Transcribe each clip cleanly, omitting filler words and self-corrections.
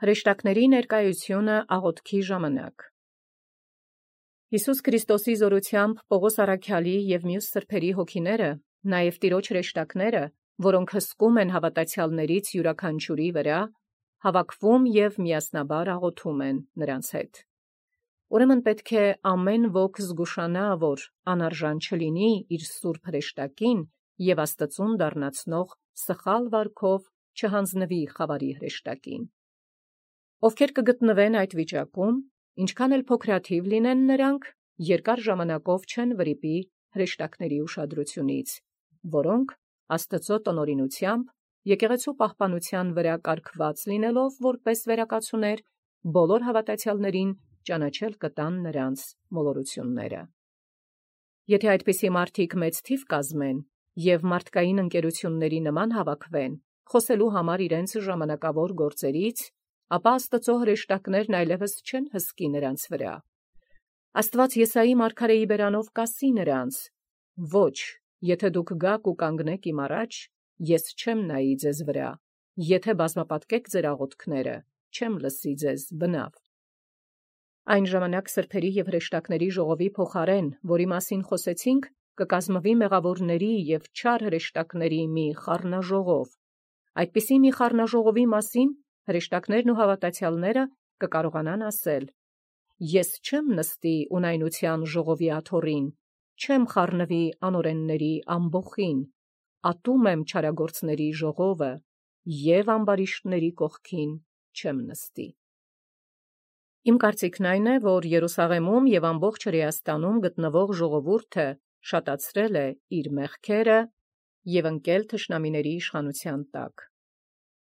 Հրեշտակների ներկայությունը աղոթքի ժամանակ։ Յիսուս Քրիստոսի զորությամբ Պողոս առաքյալի և մյուս սրբերի հոգիները, նաև տիրոջ հրեշտակները, որոնք հսկում են հավատացյալներից յուրաքանչյուրի վրա, հավաքվում և միասնաբար աղոթում են նրանց հետ։ Ուրեմն պետք է ամեն ոք զգուշանա, որ անարժան չլինի իր սուրբ հրեշտակին և Աստծուն դառնացնող սխալ վարքով չհանձնվի խավարի հրեշտակին։ Ովքեր կգտնվեն այդ վիճակում, ինչքան էլ փոքրաթիվ լինեն նրանք, երկար ժամանակով չեն վրիպի հրեշտակների ուշադրությունից, որոնք Աստծո տնօրինությամբ եկեղեցու պահպանության վրա կարգված լինելով որպես վերակացուներ, բոլոր հավատացյալներին ճանաչել կտան նրանց մոլորությունները։ Եթե այդպիսի մարդիկ մեծ թիվ կազմեն և մարդկային ընկերությունների նման հավաքվեն, խոսելու համար իրենց ժամանակավոր գործերից, ապա Աստծո հրեշտակներն այլևս չեն հսկի նրանց վրա։ Աստված Եսայի մարգարեի բերանով կասի նրանց. «Ոչ, եթե դուք գաք ու կանգնեք իմ առաջ, ես չեմ նայի ձեզ վրա, եթե բազմապատկեք ձեր աղոթքները, չեմ լսի ձեզ բնավ»։ Այն ժամանակ սրբերի և հրեշտակների ժողովի փոխարեն, որի մասին խոսեցինք, կկազմվի մեղավորների և չար հրեշտակների մի խառնաժողով։ Այդպիսի մի խառնաժողովի մասին հրեշտակներն ու հավատացյալները կկարողանան ասել. «Ես չեմ նստի ունայնության ժողովի աթոռին, չեմ խառնվի անօրենների ամբոխին, ատում եմ չարագործների ժողովը և ամբարիշտների կողքին չեմ նստի»։ Իմ կարծիքն այն է, որ Երուսաղեմում և ամբողջ Հրեաստանում գտնվող ժողովուրդը շատացրել է իր մեղքերը և ընկել թշնամիների իշխանության տակ։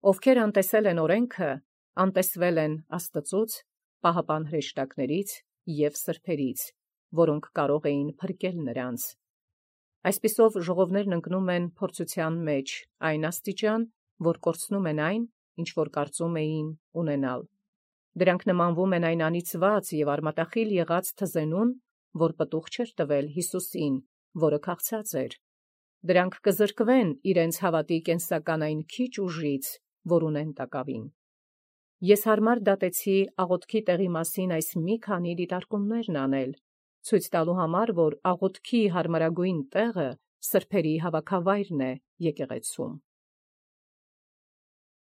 Ովքեր անտեսել են օրենքը, անտեսվել են Աստծուց, պահապան հրեշտակներից և սրբերից, որոնք կարող էին փրկել նրանց։ Այսպիսով ժողովներն ընկնում են փորձության մեջ այն աստիճան, որ կորցնում են այն, ինչ որ կարծում էին ունենալ։ Դրանք նմանվում են այն անիծված և արմատախիլ եղած թզենուն, որ պտուղ չէր տվել Հիսուսին, որը քաղցած էր։ Դրանք կզրկվեն իրենց հավատի կենսական այն քիչ ուժից, որ ունեն տակավին։ Ես հարմար դատեցի աղոթքի տեղի մասին այս մի քանի դիտարկումներն անել, ցույց տալու համար, որ աղոթքի հարմարագույն տեղը սրբերի հավաքավայրն է եկեղեցում։